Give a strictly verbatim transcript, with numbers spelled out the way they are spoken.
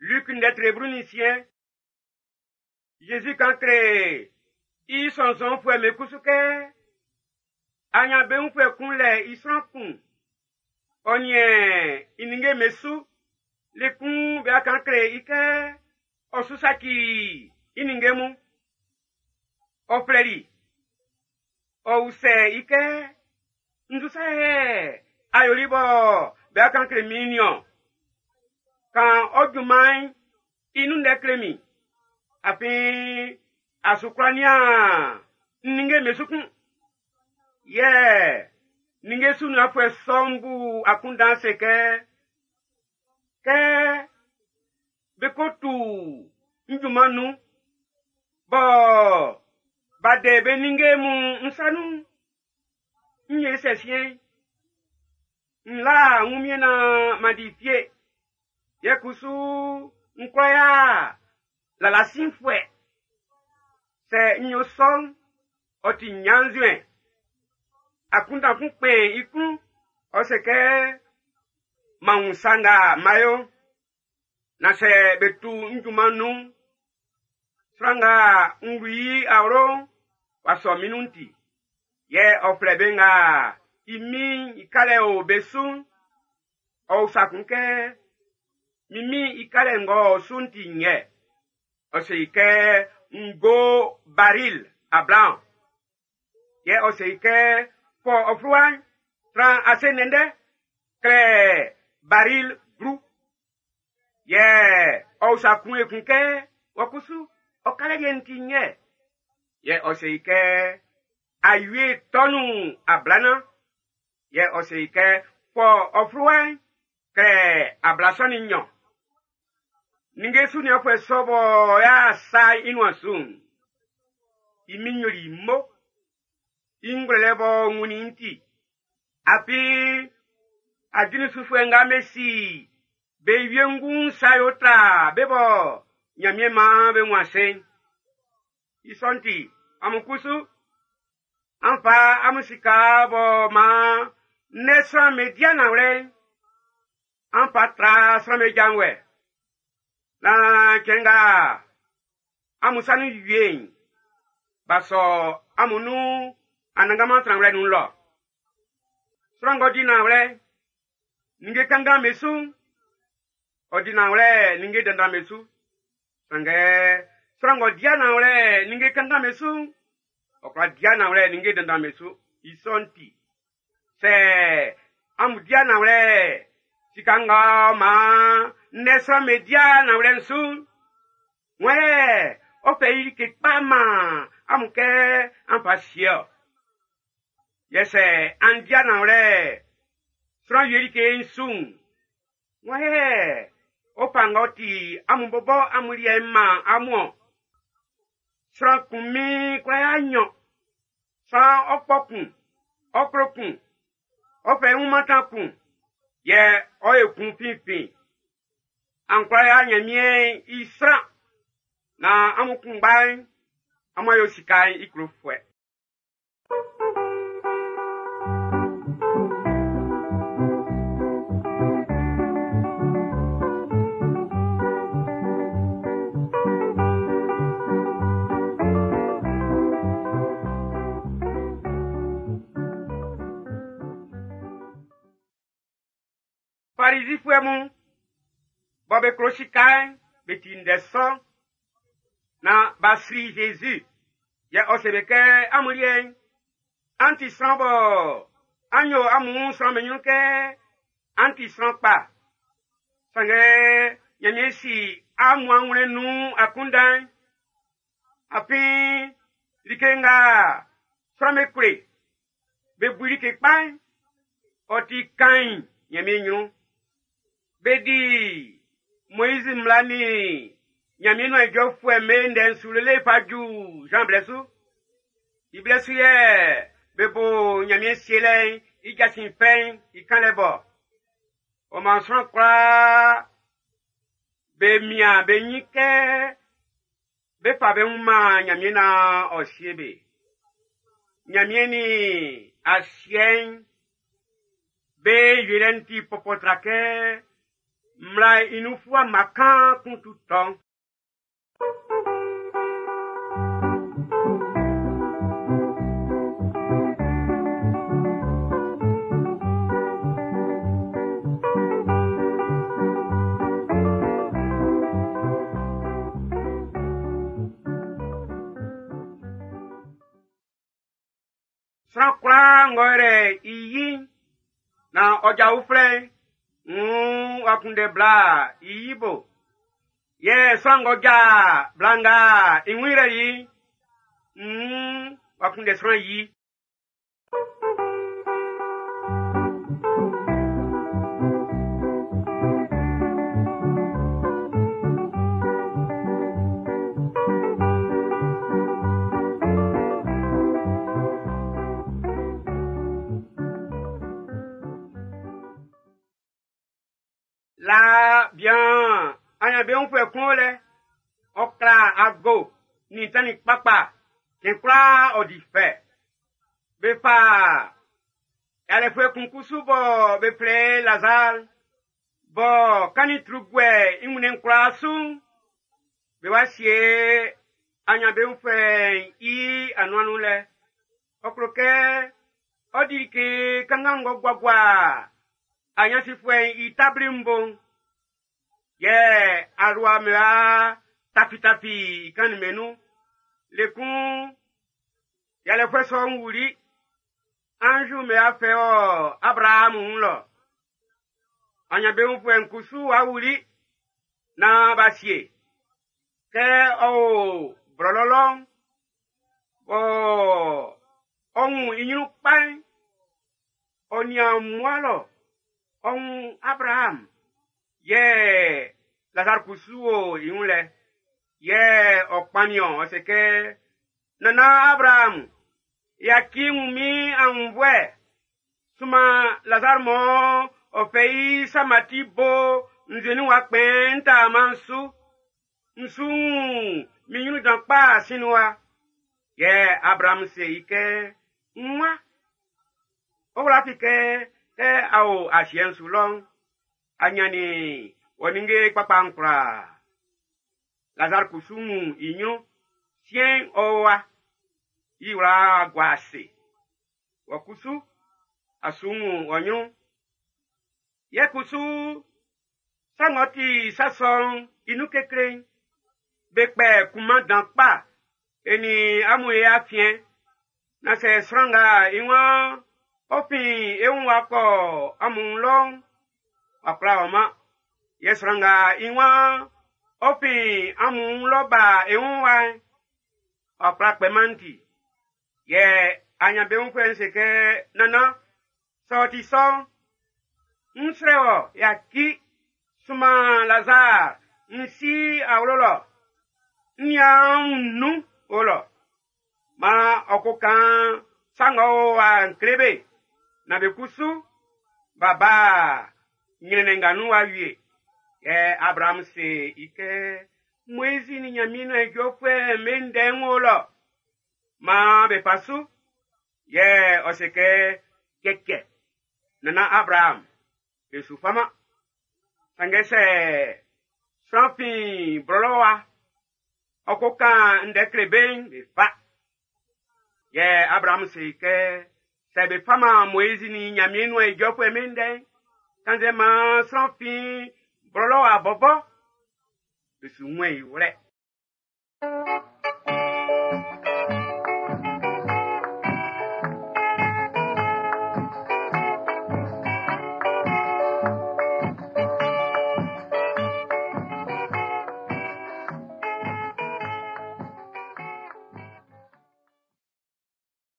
Luc ndɛ tre blu nin nsiɛn. Jésus kan kle i sɔnnzɔnfuɛ'm be kusu kɛ anyanbeunfuɛ kun lɛ i sran kun. Ɔ niɛn i ninnge'm be su. Le kun be kan kle i kɛ ɔ su saci i ninnge mun. Ɔ flɛli. Ɔ usɛ i kɛ nzu sa yɛ a yoli bɔ be kan kle min niɔn. Kan ɔ junman'n i nun ndɛ kle min. Afin a su kwla nian ninnge'm be su kun. Yɛ ninnge sunianfuɛ sɔ'n bu akunndan se kɛ kɛ be ko tu n junman nun bɔ ba de be ninnge mun n sa nun n ye sɛ siɛn n la wunmiɛn na ma di fie yɛ kusu n kwla ya lalasinfuɛ sɛ n yo sɔ'n ɔ ti ɲannzuɛn akunndan kun kpɛn i klun ɔ se kɛ ma wun sa nga ma yo na sɛ be tu n junman nun sran nga n wlu i awlo'n w'a sɔ min nun ti yɛ ɔ flɛ be nga i min i kalɛ o be su'n ɔ usa kun kɛ min min i kalɛ ng'ɔ o su'n ti nyɛ ɔ se i kɛ ngo baril ablaɔn yɛ ɔ se i kɛ fɔ ɔ fluwa'n tran ase ndɛndɛ klɛ baril blu yɛ ɔ usa kun ekun kɛ wɔ kusu ɔ kalɛ yɛ ti nyɛ yɛ ɔ se i kɛ awie tɔnu ablana yɛ ɔ se i kɛ fɔ ɔ fluwa'n klɛ ablasɔn ni nnyɔn ninnge sunianfuɛ sɔ bɔ y'a sa i nuan su'n i min yoli mo i ngwlɛlɛ bɔ wunnin ti afin ajulisufuɛ nga be si be wiengu sa yo tra be bɔ Ɲanmiɛn maan be wun ase'n i sɔ'n ti amun kusu an fa amun sika bɔ maan ne sran be di nanwlɛ'n an fa tra sran be janvuɛ na cɛn nga amun sa nun wie'n b'a sɔ amun nun anannganman tranwlɛ nun lɔ sran ng'ɔ di nanwlɛ ninnge kanngan be su ɔ di nanwlɛ ninnge dandan be su sanngɛ sran ng'ɔ di nanwlɛ ninnge kanngan be su ɔ kwla di nanwlɛ ninnge dandan be su i sɔ'n ti sɛ amun di nanwlɛ sika nga maan ne sran be di nanwlɛ'n su wɔn yɛ ɔ fɛ i like kpa man amun kɛ an fa sie ɔ yɛ sɛ an di nanwlɛ sran wie like su'n wɔn yɛ ɔ fa ng'ɔ ti amun bɔbɔ amun liɛ'n man amun ɔ sran kun mi kwla ya nnyɔn sran ɔkpɔ kun ɔklo kun ɔfɛ i wun mantan kun yɛ ɔ ye kun finfin an kwla ya Ɲanmiɛn i sran na amun kunngba'n amun yo sika'n i klofuɛ. Farisifuɛ mun bɔ be klo sika'n be ti ndɛ sɔ na b'a sri Jésus yɛ ɔ se be kɛ amun liɛ'n an ti sran bɔ an yo amun sran be ɲrun kɛ an ti sran kpa sanngɛ Ɲanmiɛn si amun anwlɛn nun akunndan'n afin like nga sran be kle be bu like kpa'n ɔ ti kain Ɲanmiɛn ɲrun be di Moizi mmla ni Ɲanmiɛn nuan ijɔfuɛ'm be ndɛ'n su lele fa ju Jean blɛ su i blɛ su yɛ be bo Ɲanmiɛn sielɛ'n i jasin fɛ'n i kanlɛ bɔ ɔ maan sran kwlaa be mian be ɲin kɛ be fa be wun man Ɲanmiɛn naan ɔ sie be Ɲanmiɛn ni asiɛ'n be yolɛ'n ti pɔpɔ tra kɛ Mmla inufua makan kuntutɔn. Sran kwlaa ng'ɔ yrɛ i yi'n na ɔ ja uflɛ'n, nn w'a kunndɛ bla i yi bo. Yɛ sran ng'ɔ ja bla nga i wun yrɛli i'n, nn w'a kunndɛ sran yi. La bian anyanbeunfuɛ kun o lɛ, ɔ kla ago nin tannin kpakpa, cɛn kwlaa ɔ di fɛ. Be fa yalɛfuɛ kun kusu bɔ be flɛ i Lazar, bɔ kannin tru guɛ i wunnɛn'n kwlaa su'n, be wa sie anyanbeunfuɛ'n i anuan'n nun lɛ. Ɔ klo kɛ ɔ di like kanngan ng'ɔ guagua anyansifuɛ'n i tabli'n bo'n. Yɛ alua mla tafitafi i kannin'm be nun. Le kun yalɛfuɛ sɔ'n wuli. Anzu mɛ afɛ ɔ Abrahamu wun lɔ. Anyanbeunfuɛ'n kusu wa wuli naan b'a sie. Kɛ ɔ o blɔlɔ lɔ'n, bɔ ɔ wun i ɲrun kpa'n, ɔ nian mmua lɔ, ɔ wun Abraham. Yɛ Lazare kusu o i wun lɛ. Yɛ ɔ kpannin ɔ, ɔ se kɛ, Nana Abraham, yaci wun min aunnvuɛ. Sunman Lazare mɔ ɔ fɛ i samati bo nzue nun wa kpɛn n taaman'n su. N su wun min ɲrun dan kpa sin wa. Yɛ Abraham se i kɛ, N wa, ɔ wla fi kɛ kɛ a o asiɛ'n su lɔ'n, a ɲannin wɔ ninnge kpakpa'n kwlaa. Lazare kusu wun i ɲrun, siɛn'n ɔ wa, i wla gua ase. Wɔ kusu, a su wun wɔ ɲrun. Yɛ kusu, sa ng'ɔ ti sa sɔ'n i nun kekle'n, be kpɛ kunman dan kpa e nin amun e afiɛn. Na sɛ sran nga i waan ɔ fin e wun wa kɔ amun lɔ'n, w'a kwlá ɔman. Yɛ sran nga i waan ɔ fin amun lɔ ba e wun wa'n, w'a kwlá kpɛman ti. Yɛ anyanbeunfuɛ'n se kɛ, Nannan, sɛ ɔ ti sɔ'n, n srɛ wɔ, yaci, sunman Lazare n si awlo lɔ, n nian nun o lɔ. Maan ɔ ko kan sa ng'ɔ o wa'n kle be, na be kusu b'a ba ɲrɛnnɛn nga nun wa wie. Yɛ Abraham se i kɛ, Moizi nin Ɲanmiɛn nuan ijɔfuɛ'm be ndɛ'n wo lɔ. Maan be fa su. Yɛ ɔ se kɛ, Cɛcɛ, nana Abraham, be su faman. Sanngɛ sɛ sran fin blɔlɔ wa, ɔ ko kan ndɛ kle be'n, be fa. Yɛ Abraham se i kɛ, sɛ be faman Moizi nin Ɲanmiɛn nuan ijɔfuɛ'm be ndɛ'n, kannzɛ maan sran fin blɔlɔ wa bɔbɔ, be su wun i wlɛ.